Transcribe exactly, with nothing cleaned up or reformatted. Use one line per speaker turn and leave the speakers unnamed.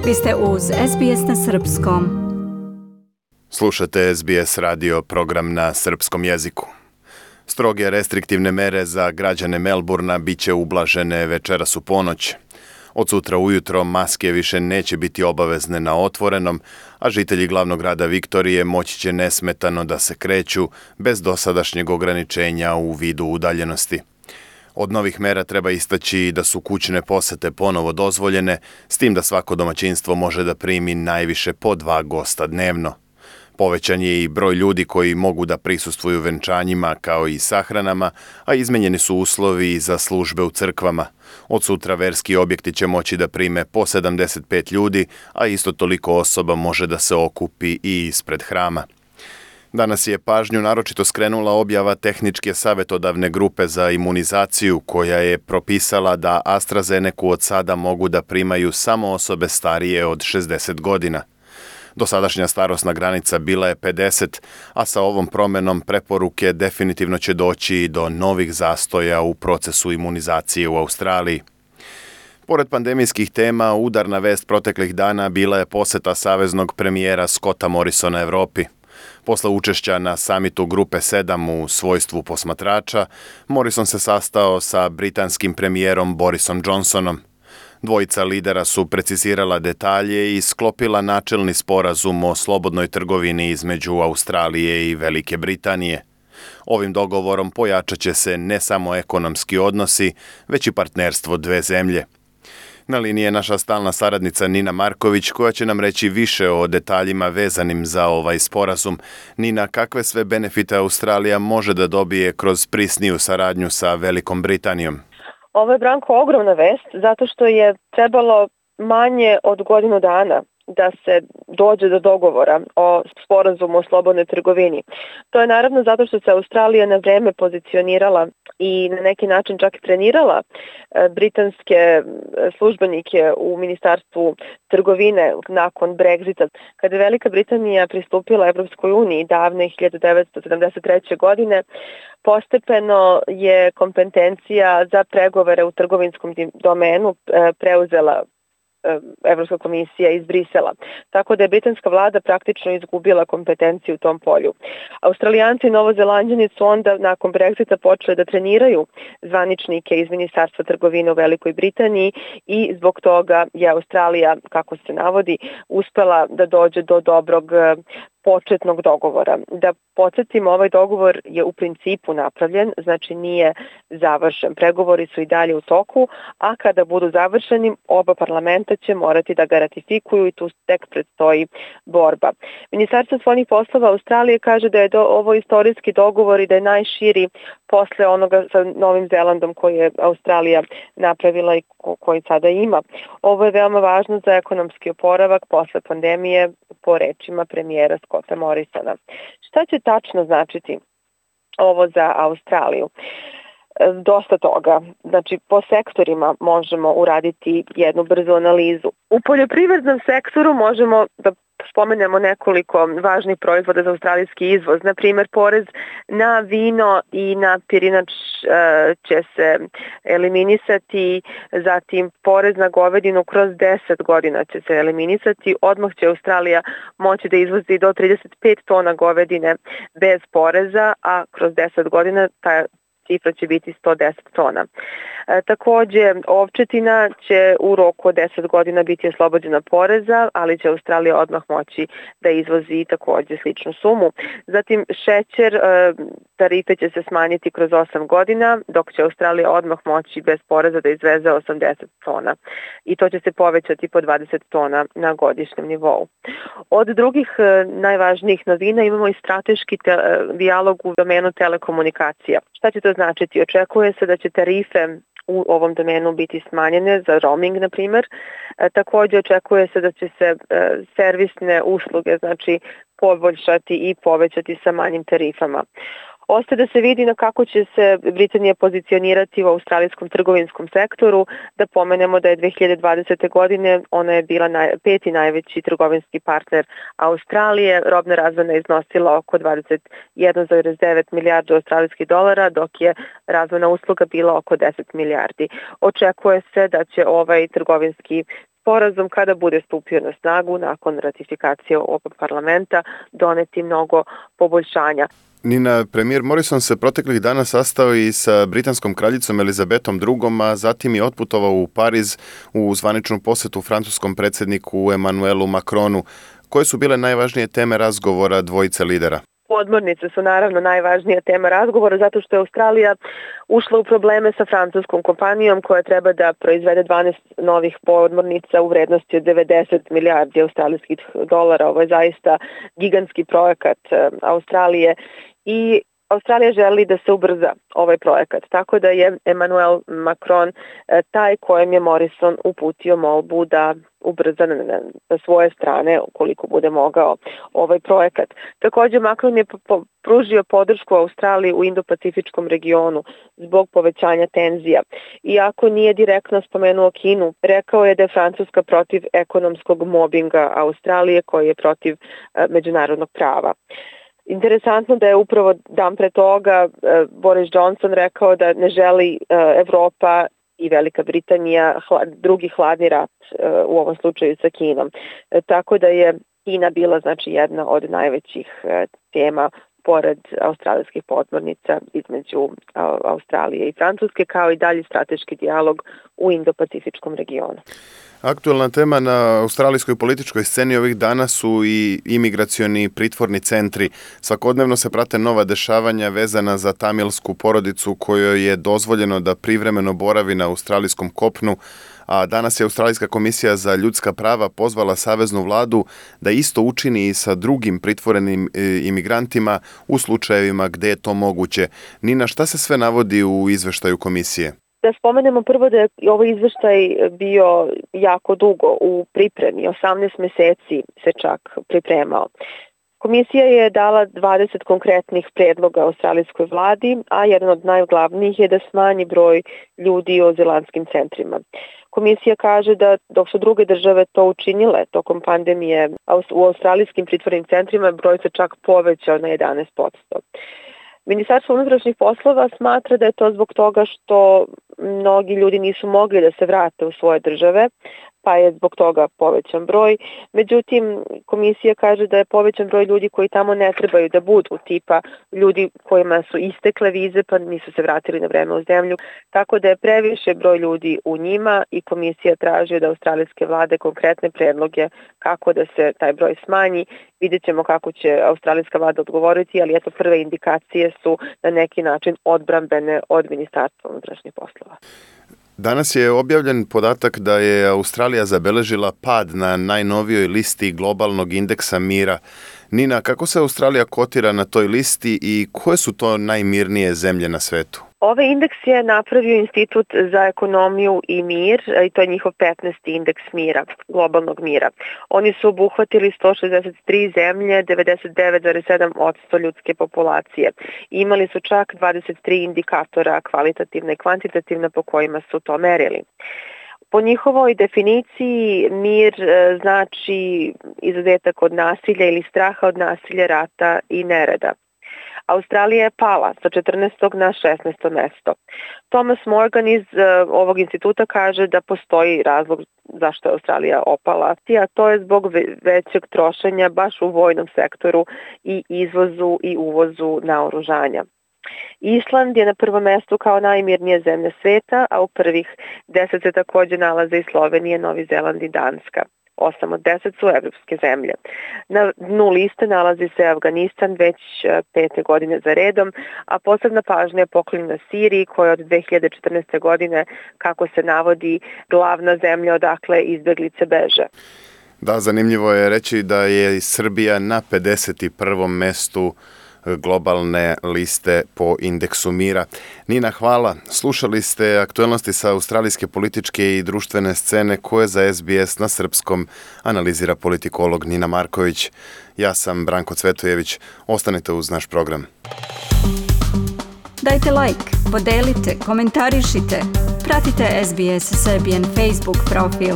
Vi ste uz S B S na srpskom.
Slušate S B S radio program na srpskom jeziku. Stroge restriktivne mere za građane Melburna bit će ublažene večeras u ponoć. Od sutra ujutro maske više neće biti obavezne na otvorenom, a žitelji glavnog grada Viktorije moći će nesmetano da se kreću bez dosadašnjeg ograničenja u vidu udaljenosti. Od novih mera treba istaći da su kućne posete ponovo dozvoljene, s tim da svako domaćinstvo može da primi najviše po dva gosta dnevno. Povećan je i broj ljudi koji mogu da prisustvuju venčanjima kao i sahranama, a izmenjeni su uslovi za službe u crkvama. Od sutra verski objekti će moći da prime po sedamdeset pet ljudi, a isto toliko osoba može da se okupi i ispred hrama. Danas je pažnju naročito skrenula objava Tehničke savjetodavne grupe za imunizaciju koja je propisala da AstraZenecu od sada mogu da primaju samo osobe starije od šezdeset godina. Dosadašnja starosna granica bila je pedeset, a sa ovom promenom preporuke definitivno će doći do novih zastoja u procesu imunizacije u Australiji. Pored pandemijskih tema, udarna vest proteklih dana bila je poseta saveznog premijera Scotta Morrisona Evropi. Posle učešća na samitu Grupe sedam u svojstvu posmatrača, Morrison se sastao sa britanskim premijerom Borisom Johnsonom. Dvojica lidera su precizirala detalje i sklopila načelni sporazum o slobodnoj trgovini između Australije i Velike Britanije. Ovim dogovorom pojačat će se ne samo ekonomski odnosi, već i partnerstvo dve zemlje. Na liniji je naša stalna saradnica Nina Marković koja će nam reći više o detaljima vezanim za ovaj sporazum. Nina, kakve sve benefite Australija može da dobije kroz prisniju saradnju sa Velikom Britanijom?
Ovo je, Branko, ogromna vest zato što je trebalo manje od godinu dana da se dođe do dogovora o sporazumu o slobodnoj trgovini. To je naravno zato što se Australija na vreme pozicionirala i na neki način čak trenirala britanske službenike u Ministarstvu trgovine nakon Brexita. Kada je Velika Britanija pristupila Evropskoj uniji davne hiljadu devetsto sedamdeset treće. godine, postepeno je kompetencija za pregovore u trgovinskom domenu preuzela Evropska komisija iz Brisela. Tako da je britanska vlada praktično izgubila kompetenciju u tom polju. Australijanci i Novozelanđani su onda nakon Brexita počeli da treniraju zvaničnike iz Ministarstva trgovine u Velikoj Britaniji i zbog toga je Australija, kako se navodi, uspela da dođe do dobrog početnog dogovora. Da podsjetimo, ovaj dogovor je u principu napravljen, znači nije završen. Pregovori su i dalje u toku, a kada budu završeni, oba parlamenta će morati da ga ratifikuju i tu tek predstoji borba. Ministarstvo spoljnih poslova Australije kaže da je do, ovo istorijski dogovor i da je najširi posle onoga sa Novim Zelandom koji je Australija napravila i ko, koji sada ima. Ovo je veoma važno za ekonomski oporavak posle pandemije, po rečima premijera Scotta Morrisona. Šta će tačno značiti ovo za Australiju? Dosta toga. Znači, po sektorima možemo uraditi jednu brzu analizu. U poljoprivrednom sektoru možemo da spomenemo nekoliko važnih proizvoda za australijski izvoz. Na primjer, porez na vino i na pirinač će se eliminisati, zatim porez na govedinu kroz deset godina će se eliminisati. Odmah će Australija moći da izvozi do trideset pet tona govedine bez poreza, a kroz deset godina ta cifra će biti sto deset tona. E, takođe, ovčetina će u roku od deset godina biti oslobođena poreza, ali će Australija odmah moći da izvozi takođe sličnu sumu. Zatim, šećer, e, tarife će se smanjiti kroz osam godina, dok će Australija odmah moći bez poreza da izveze osamdeset tona. I to će se povećati po dvadeset tona na godišnjem nivou. Od drugih e, najvažnijih novina imamo i strateški te, e, dijalog u domenu telekomunikacija. Šta će to značiti? Očekuje se da će tarife u ovom domenu biti smanjene za roaming, na primjer. E, također očekuje se da će se e, servisne usluge, znači, poboljšati i povećati sa manjim tarifama. Ostaje da se vidi na kako će se Britanija pozicionirati u australijskom trgovinskom sektoru. Da pomenemo da je dve hiljade dvadesete. godine ona je bila naj, peti najveći trgovinski partner Australije. Robna razmena je iznosila oko dvadeset jedan zarez devet milijardi australijskih dolara, dok je razmena usluga bila oko deset milijardi. Očekuje se da će ovaj trgovinski sporazum kada bude stupio na snagu nakon ratifikacije ovog parlamenta doneti mnogo poboljšanja.
Nina, premijer Morrison se proteklih dana sastao i sa britanskom kraljicom Elizabetom drugom, a zatim je otputovao u Pariz u zvaničnu posetu francuskom predsjedniku Emmanuelu Macronu. Koje su bile najvažnije teme razgovora dvojice lidera?
Podmornice su naravno najvažnija tema razgovora zato što je Australija ušla u probleme sa francuskom kompanijom koja treba da proizvede dvanaest novih podmornica u vrednosti od devedeset milijardi australijskih dolara. Ovo je zaista gigantski projekat Australije i Australija želi da se ubrza ovaj projekat, tako da je Emmanuel Macron taj kojem je Morrison uputio molbu da ubrza na, na svoje strane, ukoliko bude mogao, ovaj projekat. Također Macron je po, pružio podršku Australiji u Indo-Pacifičkom regionu zbog povećanja tenzija. Iako nije direktno spomenuo Kinu, rekao je da je Francuska protiv ekonomskog mobinga Australije koji je protiv uh, međunarodnog prava. Interesantno da je upravo dan pre toga Boris Johnson rekao da ne želi Evropa i Velika Britanija drugi hladni rat u ovom slučaju sa Kinom. Tako da je Kina bila znači jedna od najvećih tema pored australijskih podmornica između Australije i Francuske, kao i dalji strateški dijalog u Indo-Pacifičkom regionu.
Aktuelna tema na australijskoj političkoj sceni ovih dana su i imigracioni pritvorni centri. Svakodnevno se prate nova dešavanja vezana za tamilsku porodicu kojoj je dozvoljeno da privremeno boravi na australijskom kopnu, a danas je Australijska komisija za ljudska prava pozvala saveznu vladu da isto učini i sa drugim pritvorenim imigrantima u slučajevima gde je to moguće. Nina, šta se sve navodi u izveštaju komisije?
Da spomenemo prvo da je ovaj izveštaj bio jako dugo u pripremi, osamnaest meseci se čak pripremao. Komisija je dala dvadeset konkretnih predloga australijskoj vladi, a jedan od najglavnijih je da smanji broj ljudi u azilantskim centrima. Komisija kaže da dok su druge države to učinile tokom pandemije, u australijskim pritvornim centrima broj se čak povećao na jedanaest posto. Ministarstvo unutrašnjih poslova smatra da je to zbog toga što mnogi ljudi nisu mogli da se vrate u svoje države, pa je zbog toga povećan broj. Međutim, komisija kaže da je povećan broj ljudi koji tamo ne trebaju da budu, tipa ljudi kojima su istekle vize pa nisu se vratili na vreme u zemlju, tako da je previše broj ljudi u njima i komisija traži od australijske vlade konkretne predloge kako da se taj broj smanji. Vidjet ćemo kako će australijska vlada odgovoriti, ali eto prve indikacije su na neki način odbrambene od Ministarstva unutrašnjih poslova.
Danas je objavljen podatak da je Australija zabeležila pad na najnovijoj listi globalnog indeksa mira. Nina, kako se Australija kotira na toj listi i koje su to najmirnije zemlje na svetu?
Ovaj indeks je napravio Institut za ekonomiju i mir i to je njihov petnaesti indeks mira, globalnog mira. Oni su obuhvatili sto šezdeset tri zemlje, devedeset devet zarez sedam posto ljudske populacije. Imali su čak dvadeset tri indikatora kvalitativna i kvantitativna po kojima su to merili. Po njihovoj definiciji mir znači izuzetak od nasilja ili straha od nasilja, rata i nereda. Australija je pala sa četrnaestog na šesnaesto mesto. Thomas Morgan iz uh, ovog instituta kaže da postoji razlog zašto je Australija opala, a to je zbog većeg trošenja baš u vojnom sektoru i izvozu i uvozu naoružanja. Island je na prvom mestu kao najmirnija zemlja sveta, a u prvih deset se također nalaze i Slovenija, Novi Zeland i Danska. osam od deset su evropske zemlje. Na dnu liste nalazi se Afganistan već pete godine za redom, a posebna pažnja je poklonjena Siriji koja od dve hiljade četrnaeste. godine, kako se navodi, glavna zemlja odakle izbeglice beže.
Da, zanimljivo je reći da je Srbija na pedeset prvom mestu globalne liste po indeksu mira. Nina, hvala. Slušali ste aktuelnosti sa australijske političke i društvene scene koje za S B S na srpskom analizira politikolog Nina Marković. Ja sam Branko Cvetojević. Ostanite uz naš program.
Dajte like, podelite, komentarišite. Pratite S B S Serbian Facebook profil.